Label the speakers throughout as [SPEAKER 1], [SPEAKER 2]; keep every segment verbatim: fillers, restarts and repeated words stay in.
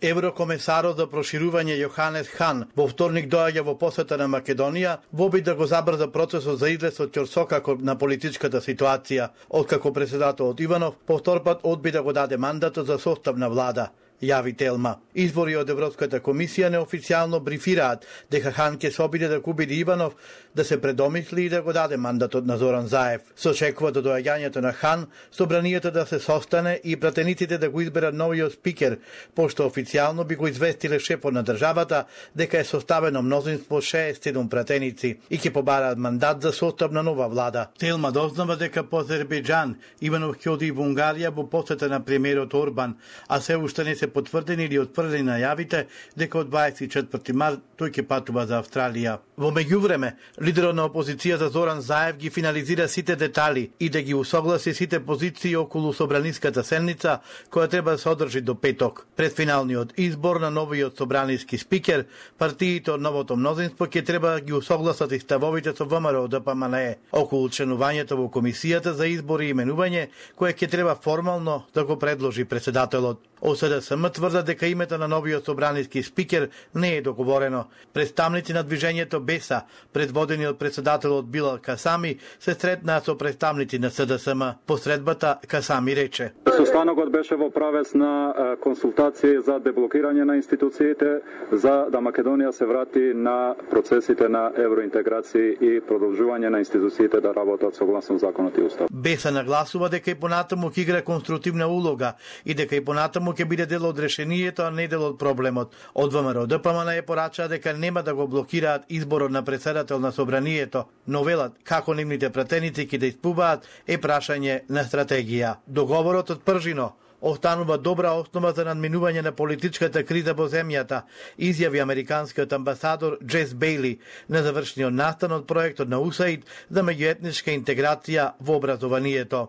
[SPEAKER 1] Еврокомесарот за проширување Јоханес Хан во вторник доаѓа во посета на Македонија во обид да го забрза процесот за излез од ќорсокакот на политичката ситуација, откако председателот Иванов повторпат одби да го даде мандатот за состав на влада, јави Телма. Извори од Европската комисија неофицијално брифираат дека Хан ќе се обиде да убеди Иванов да се предомисли и да го даде мандатот на Зоран Заев. Се очекува до доаѓањето на Хан собранието да се состане и пратениците да го изберат новиот спикер, пошто официјално би го известиле шефот на државата дека е составено мнозинство шеесет и седум пратеници и ќе побараат мандат за состав на нова влада. Телма дознава дека по Азербејџан Иванов ќе оди во Унгарија во посета на премиерот Орбан, а се уште не се потврдени или отфрлени најавите дека од дваесет и четврти март тој ќе патува за Австралија. Во меѓувреме, лидерот на опозицијата Зоран Заев ги финализира сите детали и да ги усогласи сите позиции околу собраниската седница која треба да се одржи до петок. Пред финалниот избор на новиот собраниски спикер, партиите од новото мнозинство ќе треба да ги усогласат и ставовите со ВМРО Д П М Н Е околу членувањето во комисијата за избори и именување, кое ќе треба формално да го предложи председателот. О С Д С М тврдат дека името на новиот собраниски спикер не е договорено. Представници на движењето Беса, предводени од председателот Билал Касами, се сретнаа со представници на С Д С М. Посредбата Касами рече:
[SPEAKER 2] Состанокот беше во правец на консултации за деблокирање на институциите, за да Македонија се врати на процесите на евроинтеграција и продолжување на институциите да работат согласно законот и устав.
[SPEAKER 1] Беса нагласува дека и понатаму ќе игра конструктивна улога и дека и понатаму ќе биде дел од решението, а не дел од проблемот. Од ВМРО Д П М Н Е порачаа дека нема да го блокираат изборот на председател на собранието, но велат како нивните пратеници ќе да испуваат е прашање на стратегија. Договорот од Пржино останува добра основа за надминување на политичката криза во земјата, изјави американскиот амбасадор Джес Бейли на завршниот настан од проектот на У С А И Д за меѓуетничка интеграција во образованието.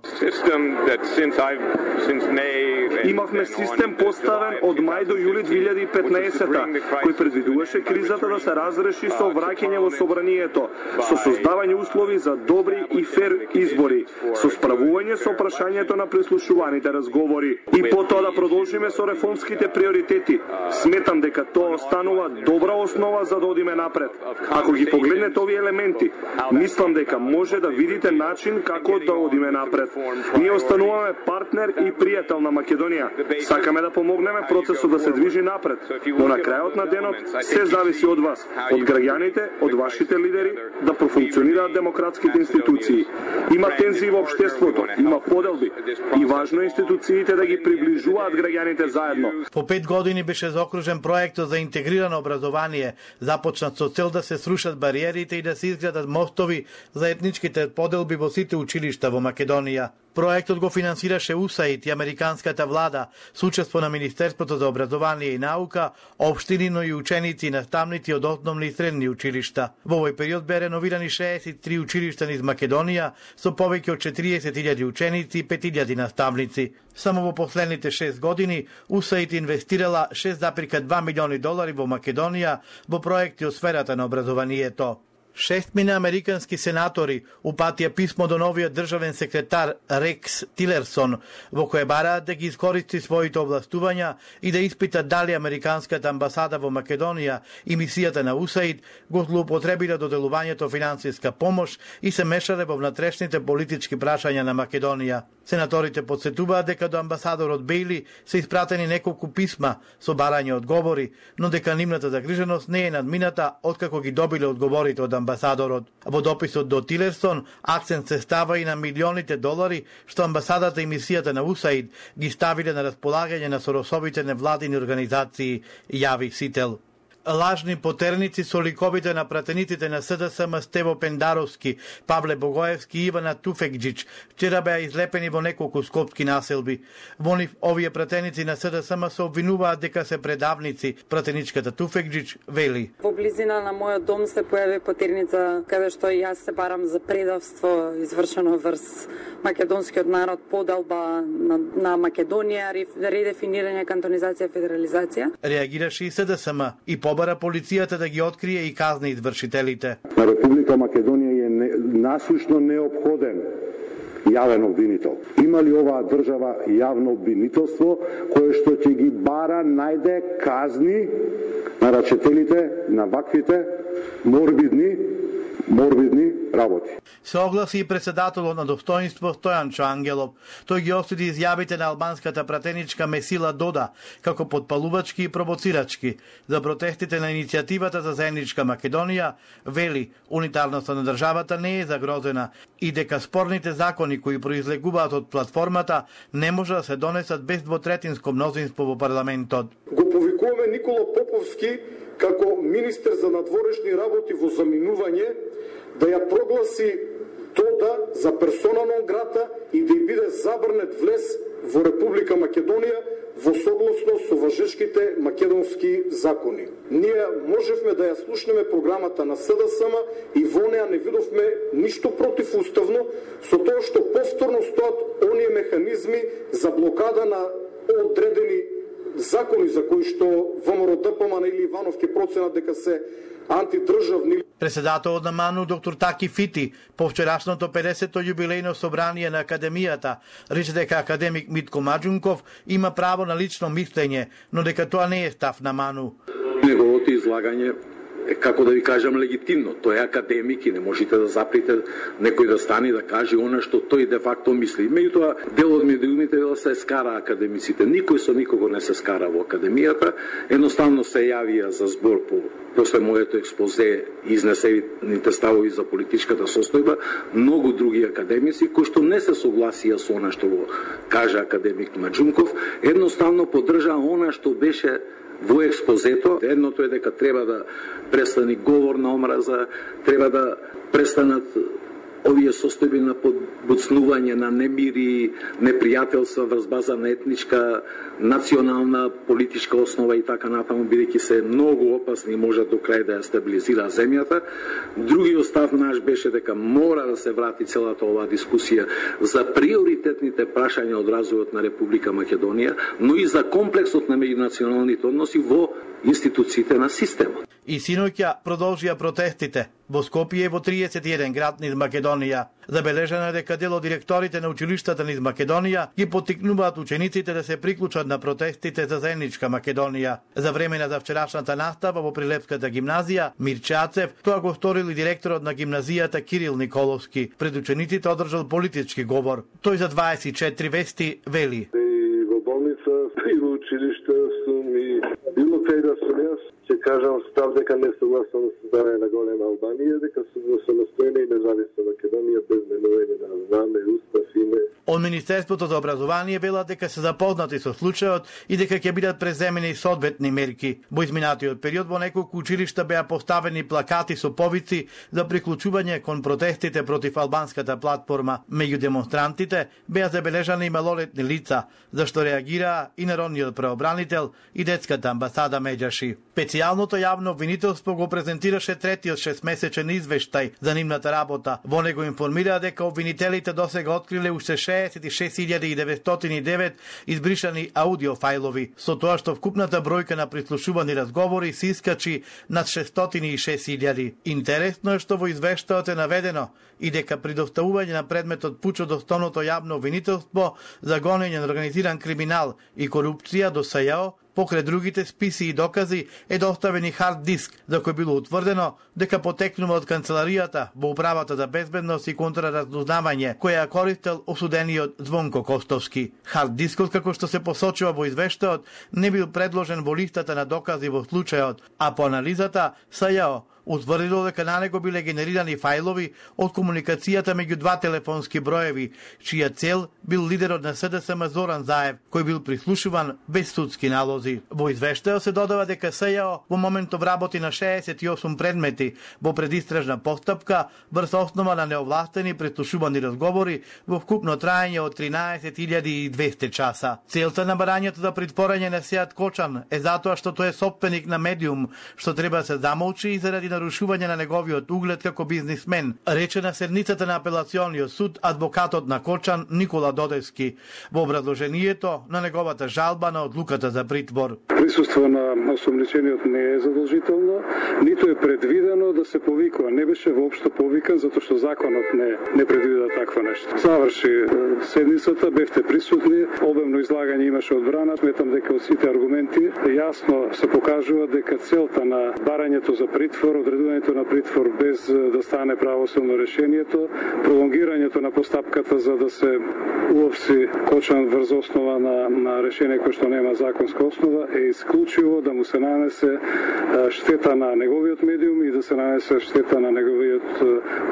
[SPEAKER 3] Имавме систем поставен од мај до јули две илјади и петнаесета, кој предвидуваше кризата да се разреши со враќање во собранието, со создавање услови за добри и фер избори, со справување со прашањето на прислушуваните разговори и потоа да продолжиме со реформските приоритети. Сметам дека тоа останува добра основа за да одиме напред. Ако ги погледнете овие елементи, мислам дека може да видите начин како да одиме напред. Ние остануваме партнер и пријател на Македонија. Сакаме да помогнеме процесот да се движи напред, но на крајот на денот се зависи од вас, од граѓаните, од вашите лидери да профункционираат демократските институции. Има тензии во општеството, има поделби и важно е институциите да ги приближуваат граѓаните заедно.
[SPEAKER 1] По пет години беше заокружен проектот за интегрирано образование, започнат со цел да се срушат бариерите и да се изградат мостови за етничките поделби во сите училишта во Македонија. Проектот го финансираше У С А И Д и американската влада, со учество на Министерството за образование и наука, општини, но и ученици и наставници од основни и средни училишта. Во овој период бе реновирани шеесет и три училишта низ Македонија, со повеќе од четириесет илјади ученици и пет илјади наставници. Само во последните шест години У С А И Д инвестирала шест запирка два милиони долари во Македонија во проекти од сферата на образованието. Шестмина американски сенатори упатија писмо до новиот државен секретар Рекс Тилерсон, во кое бараат да ги искористи своите овластувања и да испитат дали американската амбасада во Македонија и мисијата на У С А И Д го злоупотребиле доделувањето финансиска помош и се мешале во внатрешните политички прашања на Македонија. Сенаторите подсетуваат дека до амбасадорот Бейли се испратени неколку писма со барање одговори, но дека нивната загриженост не е надмината откако ги добиле одговорите од амбасадорот. Во дописот до Тилерсон акцент се става и на милионите долари што амбасадата и мисијата на У С А И Д ги ставиле на располагање на соросовите невладини организации, јави Сител. Лажни потерници со ликовите на пратениците на С Д С М Стево Пендаровски, Павле Богоевски и Ивана Туфекџич вчера беа излепени во неколку скопски населби. Во нив овие пратеници на С Д С М се обвинуваат дека се предавници. Пратеничката Туфекџич вели:
[SPEAKER 4] Во близина на мојот дом се појави потерница каде што јас се барам за предавство извршено врз македонскиот народ, подалба на, на Македонија, редефинирање, кантонизација, федерализација.
[SPEAKER 1] Реагираше и С Д С М и побара полицијата да ги открие и казни извршителите.
[SPEAKER 5] На Република Македонија е не, насушно неопходен јавен обвинител. Има ли оваа држава јавно обвинителство кое што ќе ги бара, најде казни на рачителите на ваквите морбидни морбидни работи.
[SPEAKER 1] Се огласи и председателот на достоинство Стојанчо Ангелов. Тој ги осуди изјавите на албанската пратеничка Месила Дода како подпалувачки и провоцирачки за протестите на иницијативата за заедничка Македонија, вели унитарноста на државата не е загрозена и дека спорните закони кои произлегуваат од платформата не може да се донесат без двотретинско мнозинство во парламентот.
[SPEAKER 6] Го повикуваме Никола Поповски како министер за надворешни работи во заминување да ја прогласи Дода за персона нон грата и да ја биде забрнет влез во Република Македонија во согласно со важешките македонски закони. Ние можевме да ја слушнеме програмата на СДСМ и во неа не видовме ништо противуставно со тоа што повторно стоат оние механизми за блокада на одредени закони за кои што ВМРО-ДПМН или Иванов ќе проценат дека се антидржавни.
[SPEAKER 1] Председателот на МАНУ доктор Таки Фити по вчерашното педесето јубилејно собрание на Академијата рече дека академик Митко Маџунков има право на лично мислење, но дека тоа не е став на МАНУ.
[SPEAKER 7] Неговото излагање е, како да ви кажам, легитимно. Тој е академик и не можете да заприте некој да стане и да каже она што тој де факто мисли. Меѓутоа, дел од медиумите да се скара академиците. Никој со никого не се скара во академијата. Едноставно се јавија за збор по после моето експозе и изнесените ставови за политичката состојба многу други академици кои што не се согласија со она што го кажа академик Маџунков, едноставно поддржаа она што беше во експозето. Едното е дека треба да престани говор на омраза, треба да престанат овие состојби на подбуцнување на немири, непријателства врз база на етничка, национална, политичка основа и така натаму, бидејќи се многу опасни и можат до крај да ја стабилизира земјата. Другиот став наш беше дека мора да се врати целата оваа дискусија за приоритетните прашања од развојот на Република Македонија, но и за комплексот на меѓунационалните односи во институциите на системот.
[SPEAKER 1] И синоќа продолжија протестите во Скопје и во триесет и еден град низ Македонија. Забележано е дека дел од директорите на училиштата низ Македонија ги поттикнуваат учениците да се приклучат на протестите за заедничка Македонија. За време на завчерашната настава во Прилепската гимназија Мирче Ацев, тоа го сторил и директорот на гимназијата Кирил Николовски. Пред учениците одржал политички говор. Тој за дваесет и четири вести вели:
[SPEAKER 8] И во болница, и во училиште сум, и било кај да сум јас, ќе кажам став дека не согласам со создавање на голема Албанија, дека сум за самостојна и независна Македонија без менување на знаме, устав, име.
[SPEAKER 1] Од Министерството за образование велат дека се запознати со случајот и дека ќе бидат преземени соодветни мерки. Во изминатиот период во неколку училишта беа поставени плакати со повици за приклучување кон протестите против албанската платформа. Меѓу демонстрантите беа забележани и малолетни лица, зашто реагираа и народниот преобранител и детската амбасада Меджаши. Специјалното јавно обвинителство го презентираше третиот шестмесечен извештај за нивната работа. Во него информира дека обвинителите досега откриле уште шеесет и шест илјади деветстотини и девет избришани аудиофајлови, со тоа што вкупната бројка на прислушувани разговори се искачи над шестстотини и шест илјади. Интересно е што во извештајот е наведено и дека при доставување на предметот пуч од основното јавно обвинителство за гонење на организиран криминал и корупција до СЈО, покрај другите списи и докази е доставен и хард диск, за кој било утврдено дека потекнува од канцеларијата во управата за безбедност и контраразузнавање, која ја користел осудениот Звонко Костовски. Хард дискот, како што се посочува во извештајот, не бил предложен во листата на докази во случајот, а по анализата СЈО утврдило дека на него биле генерирани фајлови од комуникацијата меѓу два телефонски броеви, чија цел бил лидерот на СДСМ Зоран Заев, кој бил прислушуван без судски налози. Во извештајот се додава дека СЈО во моментов работи на шеесет и осум предмети во предистражна постапка врз основа на неовластени прислушувани разговори во вкупно траење од тринаесет илјади и двесте часа. Целта на барањето за притворање на Сејат Кочан е затоа што тој е сопственик на медиум, што треба да се замолчи и заради нарушување на неговиот углед како бизнисмен, рече на седницата на апелациониот суд адвокатот на Кочан Никола Додевски во образложението на неговата жалба на одлуката за притвор.
[SPEAKER 9] Присуство на осомничениот не е задолжително, ниту е предвидено да се повикува. Не беше воопшто повикан затоа што законот не не предвида такво нешто. Заврши седницата, бевте присутни, обемно излагање имаше одбрана. Сметам дека од сите аргументи јасно се покажува дека целта на барањето за притвор, одредувањето на притвор без да стане правосудно решението, пролонгирањето на постапката за да се уопси Кочан врз основа на, на решение кој што нема законска основа е исклучиво да му се нанесе штета на неговиот медиум и да се нанесе штета на неговиот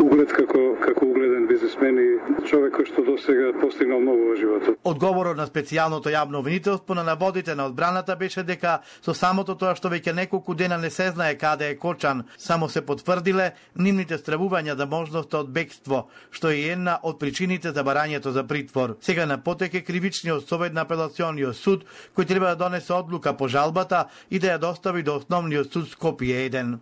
[SPEAKER 9] углед како како угледен бизнисмен и човек кој што досега постигнал многу во животот.
[SPEAKER 1] Одговорот на специјалното јавно обвинителство на наводите на одбраната беше дека со самото тоа што веќе неколку дена не се знае каде е Кочан, само се потврдиле нивните стравувања за можноста од бегство, што е една од причините за барањето за притвор. Сега на потек е кривичниот совет на апелациониот суд, кој треба да донесе одлука по жалбата и да ја достави до основниот суд Скопје еден.